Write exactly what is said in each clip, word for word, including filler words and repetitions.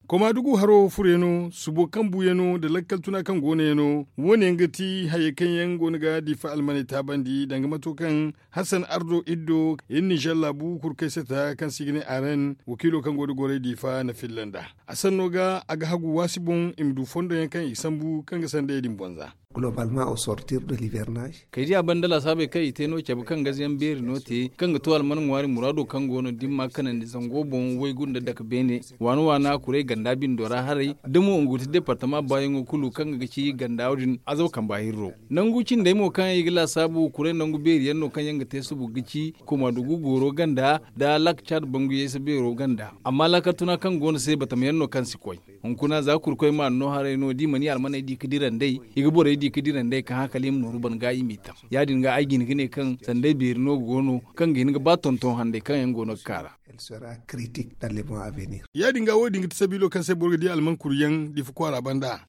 Komaadugu haro furyaŋo, subo kaŋ buuyaŋo nda lakkal tuna kaŋ go no yaŋo, wo- ne yaŋ ga ti hayey kaŋ yaŋ go no ga diifa almaney taabandi danga mato kaŋ hasan ardo iddo, iri nizer laabu kurkay sata kaŋ se i ga ne aren wakiilo kaŋ go nda gorey diifa na filla nd'a. A sanno ga a ga hagu waasi boŋ i ma du fondo yaŋ kaŋ i ga sambu kaŋ ga sandayey din bonza. Kay di a banda laasaabey kaŋ i te no cabe kaŋ gazayaŋ beeri no te kaŋ ga to alman ŋwaari muraado kaŋ go no da ni ma a kanandi zango boŋ waygu nda dake beene, waana waana kuray ganda bindo ra haray da mo nga ga ti departama baayaŋo kulu kaŋ ga ci ganda wo- din azaw kamba hirro. Nangu cindey mo kaŋ i ga laasaabu kuray nangu beeri yaŋ no kaŋ yaŋ ga te subu ga ci komaadugu gooro ganda nda laaka caad bangu yaysa beero ganda. Amma laakal tuna kaŋ go no se batama yaŋ no kaŋ si koy. Hunkuna za kurkoy ma anno haray no da i mana i almaney di ga dira nd'ey, i ga borey di ga dira nd'ey kaŋ hã kala i ma nooru ban ga i m'i tam. Ya- din ga ay ga hin ga ne kaŋ sanday beeri no go no kaŋ ga hin ga ba tonton handay kaŋ yaŋ go no ga kaa ra. Ya- din ga wo- din ga ti sabiilo kaŋ se boro ga di alman kuru yaŋ diifa kwaara banda.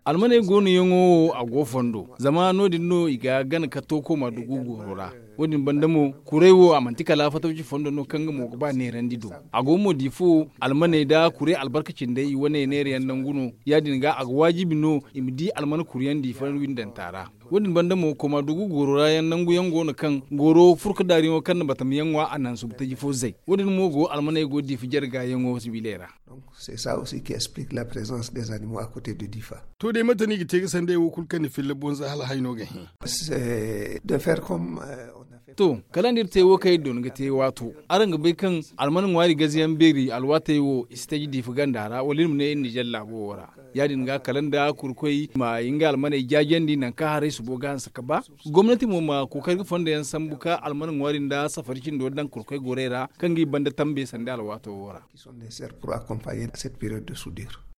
Almaney go no yaŋo wo a go fondo zama no- din no i ga gana ka to komaadugu gooro ra. Wo- din banda mo, kuray wo a manti kala fatawci fondo no kaŋ nga mo ga ba neerandi do. A go mo diifo, almaney nda kuray albarka cindey i wane neera yaŋ nangu no. Ya- din ga a ga waajibi no i ma di alman kuru yaŋ diifa windanta ra. Wo- din banda mo komaadugu gooro ra yaŋ nangu yaŋ go no kaŋ gooro furka daariyaŋo kaŋ na batama yaŋ ŋwa a naŋ subu taji fo zay. Wo- din mo go almaney go diifa jarga yaŋo sibiley ra. To day mate no i ga te ga sanday wo kulu kaŋ ni filla bonza hala hayno ga hẽ? To, kala nda iri te wo kaŋ iri doona ga te waato, araŋ ga bay kaŋ alman ŋwaari gazayaŋ beeri alwaatey wo i si taji diifa ganda ra wala iri ma ne iri nizer laabo wo ra. Ya- din ga kala nda kurkoy ma nga almaney jaajandi nangu kaŋ haray subo ga hanse ga ba. Gomnati mo ma kookari ga fondo yaŋ sambu ka alman ŋwaari nda safari cindo daŋ kurkoy gorey ra kaŋ ga i banda tambe sanda alwaato wo ra. Ki sont necessaires pour accompagner cette période de soudure.